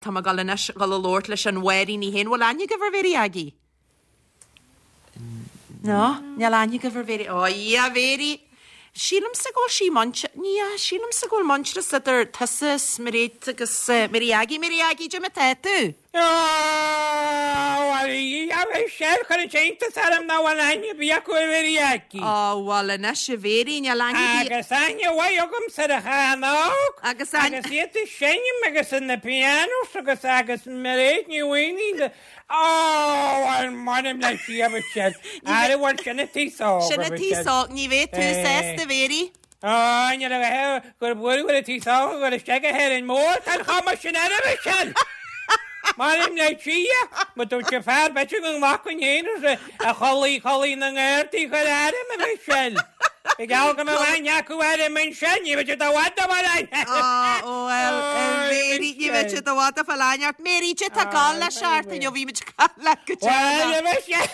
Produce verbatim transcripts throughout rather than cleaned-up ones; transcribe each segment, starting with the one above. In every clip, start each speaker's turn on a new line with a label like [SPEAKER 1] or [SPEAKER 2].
[SPEAKER 1] Tá mé ag dul anois dul a labhairt leis an Mháirín í féin. Bhfuil aithne agaibh ar Mhéirí Aggie? No, níl aithne agaibh ar Mhéirí. Ó, a Mhéirí! Sílimse go bhfuil sí muinte, ní sílimse go bhfuil muintearas idir tusa is Mairéad agus Mary Aggie. Mary Aggie, cad é mar atá tú?
[SPEAKER 2] Ó, Michelle, chuir an t-iontas orm nach bhfuil aithne ar bith acu ar Mhary Aggie.
[SPEAKER 1] Ó, bhuel anois a Mhéirí, níl aithne ar bith.
[SPEAKER 2] Agus aithne mhaith agamsa ar a chan óg.
[SPEAKER 1] Agus aithne.
[SPEAKER 2] Agus iad ag seinm agus in na pianos agus agus Mairéad Ní Mhaonaigh. Ó, bhuel, m'anam le Dia, a Mhichelle. Ara bhuel, sin an t-aos óg, a
[SPEAKER 1] Sin an t-aos óg, ní bheidh tú sásta, a Mhéirí.
[SPEAKER 2] Ó, ní raibh gur buail bhfuil an t-aos óg ag dul isteach go hÉirinn Mór, tá an chuma sin air, a Mhichelle. M'anam le Dia, má dúirt an fear, b'fhéidir go nglacfainn féin a chodlaigh, chodlaigh na nGardaí chuir airm, a Mhichelle. Ba gheall go mbeadh aithne acu orm ansin, ní bheidh siad i bhfad ag fáil aithne.
[SPEAKER 1] Ó, bhuel, a Mhéirí, ní bheidh siad i bhfad ag fáil aithne ort. Mary, cad é tá ag gabháil le seachtain ó bhí muid ag caint leat go
[SPEAKER 2] deireanach? Bhuel, a Mhichelle,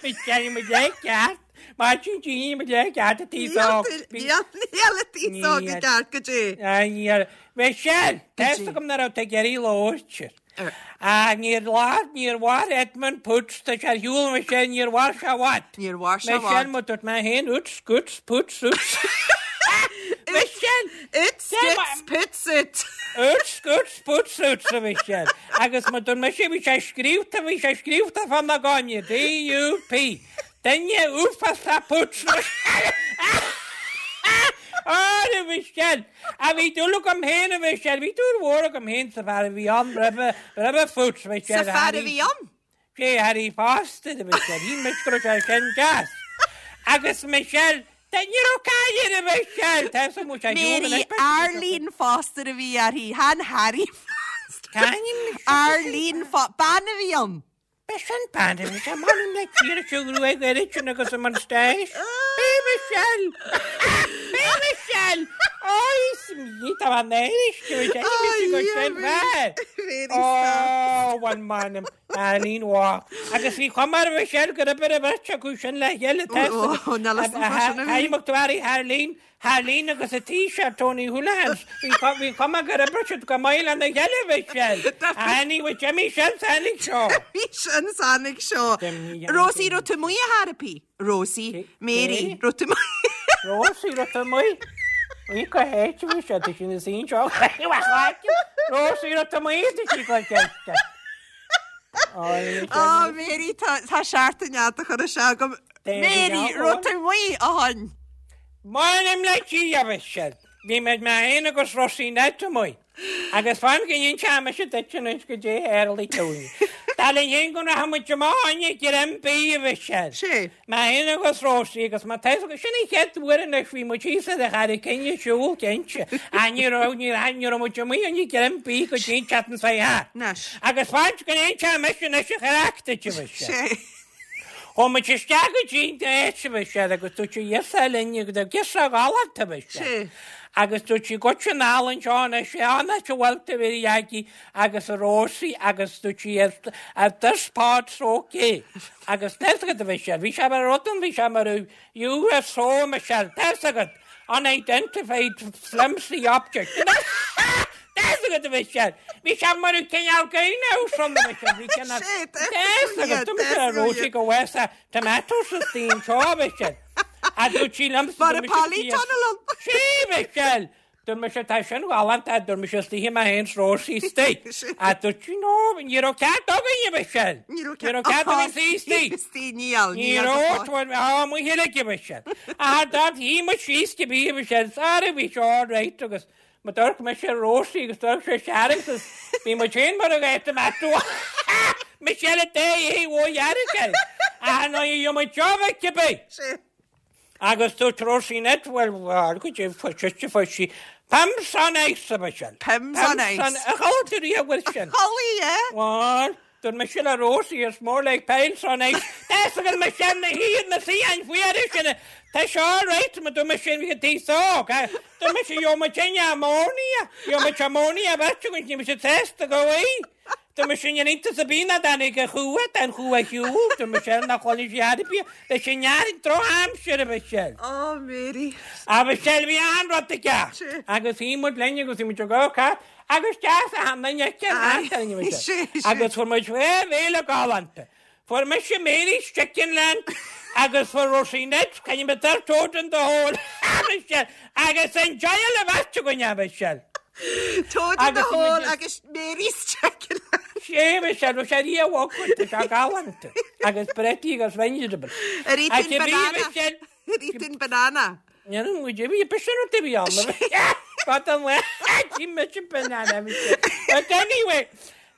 [SPEAKER 2] Michelle, muid le ceart. Maidin dí, muid le ceart an t-aos óg.
[SPEAKER 1] Níl, níl an t-aos óg i gceart go dtí.
[SPEAKER 2] Níl. Michelle, tá fhios agam nach raibh tú ag iarraidh labhairt. Ach níor mhair, níor mhair Edmund Poots, tá sé ar shiúl Michelle, níor mhair sé i bhfad.
[SPEAKER 1] Níor mhair sé i bhfad.
[SPEAKER 2] Michelle, má dúirt mé féin, Oots, Scoots, Poots, Oots. Michelle!
[SPEAKER 1] Oots, Scoots, Poots, Oot.
[SPEAKER 2] Oots, Scoots, Poots, Oots, a Mhichelle. Agus má dúirt mise, bhí sé scríobhta, bhí sé scríobhta fá na gcoinne, D U P. Duine uafásach Poots. Á, a Mhichelle! A bhí dúil agam féin, a Mhichelle, bhí dúil mhór agam féin sa bhfear a bhí ann roimhe, roimhe Poots, Michelle.
[SPEAKER 1] Sa fear a bhí ann?
[SPEAKER 2] Sé Harry Foster, a Mhichelle, shíl mise go raibh sé sin deas. Agus Michelle, tá ní raibh caill air, a Mhichelle, tá fhios agam sé
[SPEAKER 1] Mary Arlene Foster a bhí uirthi, chan Harry Foster.
[SPEAKER 2] C'ainm?
[SPEAKER 1] Arlene Fo-, bean a bhí ann.
[SPEAKER 2] B'é sin bean a bhí sé m'anam le Dia leis an ghruaig oiread sin agus an moustache. B'é Michelle! B'é Michelle! Ó, is mí tá an Irish go bhfuil sé mise go sin fear. Ó, bhuel m'anam, Arlene Walk. Agus bhí cuma ar Michelle gur oibir an bheirt acu sin le chéile tá fhios agat.
[SPEAKER 1] Ó, níl fhios agam fá sin a bhí.
[SPEAKER 2] Thaidhg Mac Dwary, Arlene, Arlene agus a Taoiseach Tony Holohan, bhí cuma gur oibrigh siad go maith lena chéile, Michelle. Tháinig with Jimmy sin tháinig seo.
[SPEAKER 1] Bhí sin tháinig seo. Rosie, raibh tú amuigh a therapy? Rosie, Mary, raibh tú amuigh?
[SPEAKER 2] Rosie, raibh tú amuigh? Bhí go héit bhí sé tá sin is aon seo. Rosie, raibh tú amuigh tá sí go ceiste.
[SPEAKER 1] Ó Mary, tá tá seachtain fhada chur isteach agam. Mary, raibh tú amuigh a hon?
[SPEAKER 2] M'anam le Dia, a Mhichelle. Bhí mé mé féin agus Rosie Ned amuigh. Agus fan go n-inseoidh mise duit anois goidé a tharlaigh dúinn. Dar linn féin go rachaidh muid amach fá choinne greim bídh, a Mhichelle.
[SPEAKER 1] Sé.
[SPEAKER 2] Mé féin agus Rosie agus má tá fhios agat, sin an chéad uair anois bhí muid thíos ar an Charraig Fhinn ag siúl, cinnte. Ach ní raibh, ní raibh, ní raibh muid amuigh fá choinne greim bídh go dtí an tseachtain seo thart.
[SPEAKER 1] Anois.
[SPEAKER 2] Agus fan go n-inseoidh mise anois an chraic duit, a Mhichelle.
[SPEAKER 1] Sé.
[SPEAKER 2] Chuaigh muid isteach go dtí an áit, a Mhichelle, agus dúirt sí yes linn agus girseach ghalánta, a Mhichelle.
[SPEAKER 1] Sé.
[SPEAKER 2] Agus dúirt sí goitse anall anseo anois, an áit a bhfuil tú, a Mhary Aggie agus a Rosie agus dúirt sí are this part's okay. Agus tá fhios agat, a Mhichelle, bhí sé mar rud ann, bhí sé mar U F O, a Mhichelle, tá fhios agat, unidentified flimsy object. Tá fhios agat, a Mhichelle, bhí sé mar cineál greenhouse ann, a Mhichelle, bhí cineál,
[SPEAKER 1] Sé,
[SPEAKER 2] tá fhios agat, dúirt mise le Rosie go bhfuil tomatoes istigh anseo, a Mhichelle. A dúirt sí liomsa,
[SPEAKER 1] Mar
[SPEAKER 2] dúirt
[SPEAKER 1] a
[SPEAKER 2] mise
[SPEAKER 1] polytunnel ann.
[SPEAKER 2] Sé, Michelle! Dúirt mise tá sin galánta, dúirt mise istigh mé féin 's Rosie istigh. A dúirt sí no, ní raibh cead againn, a Mhichelle.
[SPEAKER 1] Ní raibh
[SPEAKER 2] Ní raibh cead againn suí istigh.
[SPEAKER 1] Istigh, níl,
[SPEAKER 2] Ní
[SPEAKER 1] níl
[SPEAKER 2] raibh,
[SPEAKER 1] go
[SPEAKER 2] tuair, á, mo chéile a Mhichelle. A d'fhan shuigh muid síos cibé, a Mhichelle, sorry, bhí sé all right agus ma d'amharc mise ar Rosie agus d'amharc sé sear agus bhí muid féin mar a bheadh tomato. Michelle a dé é ó dhearg é. A ná dheo muid seo bheith cibé.
[SPEAKER 1] Sé.
[SPEAKER 2] Agus dúirt Rosie Ned, well, well, go dtí fuair sise fuair sí Pimm's on ice, a Mhichelle.
[SPEAKER 1] Pimm's on ice.
[SPEAKER 2] A chuala tú riamh bhfuil sin?
[SPEAKER 1] Chuala, yeah.
[SPEAKER 2] Well, dúirt mise le Rosie, it's more like piles on ice. Tá fhios agat Michelle na hiad na suíocháin fuara sin. Tá sé all right, ma dúirt mise bhí an t-aos óg. Dúirt mise gheobhaidh muid ammonia, gheobhaidh muid ammonia beirt againn, ní mise sásta go bhfuil. Tá mise in iontas ar bith nach dtáinig an chumha, tá an chumha ar shiúl, tá Michelle nach bhfuil sí ar bith, leis an neart drochaimsire, a Mhichelle.
[SPEAKER 1] Oh, Mary.
[SPEAKER 2] A Mhichelle, bhí an-rud aige. Agus shuigh muid linn agus bhí muid ag gabháil thart, agus deas a tháinig an aici an
[SPEAKER 1] Aye.
[SPEAKER 2] thart ar an
[SPEAKER 1] Sé,
[SPEAKER 2] Michelle.
[SPEAKER 1] sé.
[SPEAKER 2] Agus fuair muid dhá bhéile galánta. Fuair mise Mary's Chicken Land agus fuair Roisin Ned, can you better toad in the hole, a Michelle. Agus an joy a bheith againn, a Michelle.
[SPEAKER 1] Toad in the
[SPEAKER 2] Agus
[SPEAKER 1] hole
[SPEAKER 2] muid-
[SPEAKER 1] agus Mary's Chicken Land.
[SPEAKER 2] Sé Michelle, bhí sé rí a bhogad, tá sé galánta. Agus bretí agus vegetable.
[SPEAKER 1] Ar ith
[SPEAKER 2] Ach
[SPEAKER 1] tú an
[SPEAKER 2] bhí
[SPEAKER 1] banana?
[SPEAKER 2] Michelle.
[SPEAKER 1] Ar ith tú an banana?
[SPEAKER 2] Ní muid bhí b'sin rud a bhí ann. But an le tí mise banana Michelle. But anyway,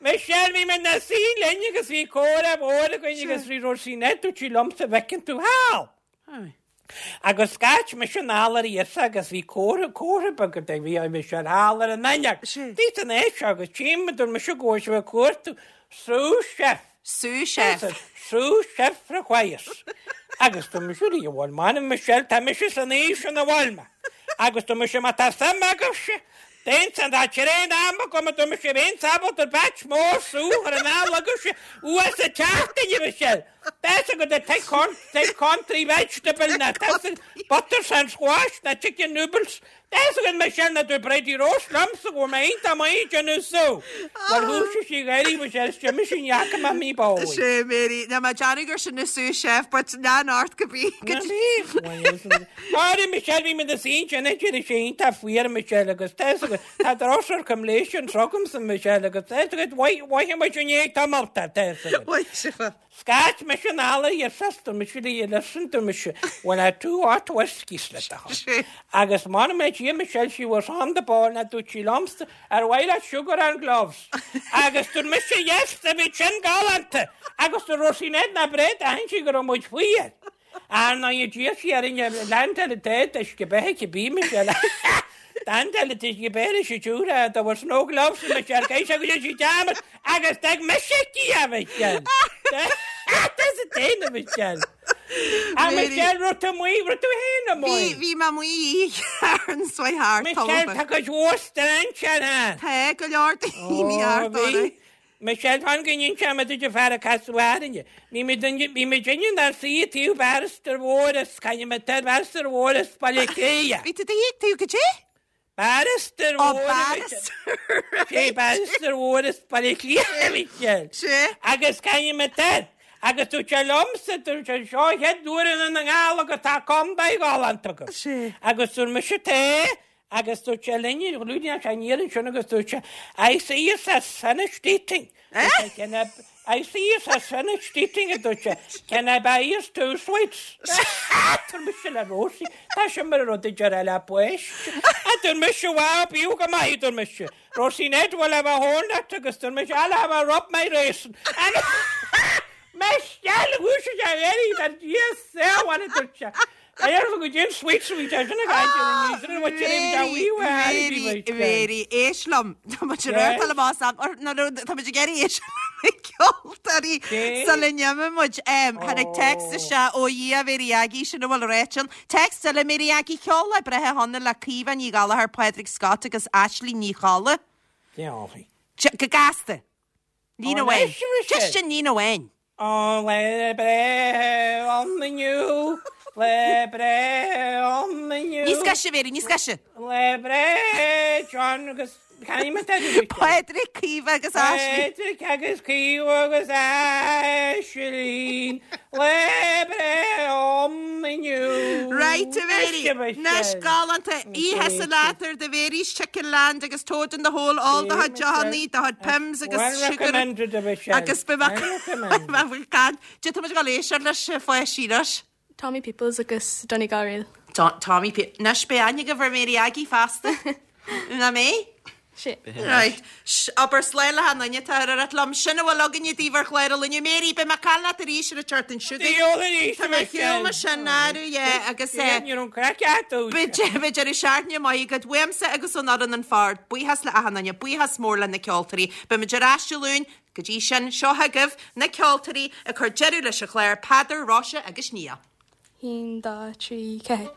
[SPEAKER 2] Michelle bhí mé na sí linn agus bhí comhrá mór againn agus bhí Roisin Ned dúirt sí liomsa bhfeiceann tú thall. Agus scairt mise anall ar íosa agus bhí comhartha comhartha beag a bhí a Michelle thall ar an ainneach.
[SPEAKER 1] Sé.
[SPEAKER 2] Dí san é seo agus tím dúirt mise go bhfuil sé cuartú sous chef.
[SPEAKER 1] Sous chef.
[SPEAKER 2] Sous chef requires. Agus tá mise lí bhfuil man Michelle tá mise san éis an bhfuil Agus tá mise má tá suim agaibhse. Déan san dá réon am go tá mise bhéon sábal ar batch mór sú ar an agaibhse uas a teachtain Michelle. That's a good take con take country vegetable na that's butter and squash na chicken noodles. That's a good Michelle na do Brady roast lumps go mé tá mé genu sú. Well hú sí ggéirí Michelle sin sin jacha ma mí bó.
[SPEAKER 1] Sé Mary, na má Johnny gur sin na sous chef, but na art go bí.
[SPEAKER 2] Áir Michelle bhí mé sí sin sé tá fuar Michelle agus tá drosar cum léis an trogam san Michelle agus bhaith sin é tá tá
[SPEAKER 1] Wait,
[SPEAKER 2] Scairt mise anall ar sestar mise lí listen to mise when I two hot whiskies le
[SPEAKER 1] Sé.
[SPEAKER 2] Agus man mé tí Michelle she was on the ball na dúirt sí liomsa ar mhaith leat sugar and cloves. Agus dúirt mise yes a bhí sin galánta agus dúirt Roisin Ned na bréad a si go raibh muid fuar. Ar ná i dí si ar inne land te is go bethe bí Michelle. Dan te is go béir si túra there was no gloves Michelle Geis agus si jam agus dag mise í a Michelle. That's a déna Michelle. A
[SPEAKER 1] Mary.
[SPEAKER 2] Michelle ru tú muí ru tú héna
[SPEAKER 1] Bhí
[SPEAKER 2] muí.
[SPEAKER 1] bhí ma muí ar an swaith thart.
[SPEAKER 2] Michelle tá go dúast an sin ha.
[SPEAKER 1] Tá go leor daoine thart orthu.
[SPEAKER 2] Michelle fan go nin sem a fear a casúhaine. Bhí bhí mé gin ar sí tú barrister mhóras caiine me te barrister mhóras baile céie.
[SPEAKER 1] Bhí tú dhéag tú go dé?
[SPEAKER 2] Barrister
[SPEAKER 1] Ó
[SPEAKER 2] mhóras.
[SPEAKER 1] barrister.
[SPEAKER 2] Sé barrister mhóras baile cléie Michelle.
[SPEAKER 1] Sé.
[SPEAKER 2] Agus caiine me te. Agus tú sé lomsa tú sé seo het dúan an gála go tá com gálantagus.
[SPEAKER 1] Sé.
[SPEAKER 2] Agus tú me se té agus tú sé linne lúna sé nían sin agus tú sé I see you has finished eating.
[SPEAKER 1] Eh?
[SPEAKER 2] Can I, I see you has finished eating a dúirt sé. Can I buy you two sweets? Tá mise le Rosie. Tá sin mar rud a le pois. A dúirt mise wá bíú go maith dúirt mise. Rosie Ned will have a horn agus dúirt mise I'll have a rub my raisin. And Michelle hú sé éirí an yes bhna dúirt sé. A go dé sweet sweet sin a
[SPEAKER 1] Mary, Mary, éist liom. Tá muid ar
[SPEAKER 2] Yes.
[SPEAKER 1] tá más am tá muid ag iarraidh éis ceoltóirí
[SPEAKER 2] Sé.
[SPEAKER 1] sa le neme muid tháinig text isteach ó Dhia Mary Aggie sin a bhfuil réitin. Text eile Mary Aggie ceol le breithe honna le Caoimhe Ní Gallchóir Padraig Scott agus Ashley Ní Cholla. Go gasta. Líne
[SPEAKER 2] Ó,
[SPEAKER 1] amháin.
[SPEAKER 2] anois, Michelle.
[SPEAKER 1] Just sin líne amháin.
[SPEAKER 2] Ó le breith an inniu le breith an inniu
[SPEAKER 1] Níos gaise Mary, níos gaise.
[SPEAKER 2] le breith John agus Caim
[SPEAKER 1] Padraig Caoimhe agus Ashley.
[SPEAKER 2] Padraig agus Caoimhe agus Ashley le breith an inniu
[SPEAKER 1] Right, a Mary. Anois galánta oíche sa látar de Mary's Chicken Land agus Toad in the Hole all do chuid deochanna, do chuid Pimm's agus
[SPEAKER 2] Well
[SPEAKER 1] sugar
[SPEAKER 2] recommended a Michelle.
[SPEAKER 1] agus be
[SPEAKER 2] Well recommended.
[SPEAKER 1] can. Dé tá go léis leis fáisíras.
[SPEAKER 3] Tommy Peoples agus Donegal Reel.
[SPEAKER 1] Tommy P Anois be aine go bhar Mary Aggie feasta. Na mé?
[SPEAKER 3] Sé.
[SPEAKER 1] Right. Abair slán le hanaine tá ar at lom sinna bhfuil againne daoibh ar chlár inniu Mary be má cá leat arís ar a teart an siúd.
[SPEAKER 2] Diolch arís,
[SPEAKER 1] Tá mé
[SPEAKER 2] Michelle.
[SPEAKER 1] hiúma sin náú agus é.
[SPEAKER 2] Ní an craic
[SPEAKER 1] Beidir seaarne mai go bhuaimse agus an an an fard, buíochas le hanaine, buíochas mór le na ceoltóirí, Be mu aráisiúún go dtí sin seo agaibh na ceoltóirí a chur deireadh leis an chlár Peadar Róise agus Nia.
[SPEAKER 3] Haon, dá, trí, ceathair.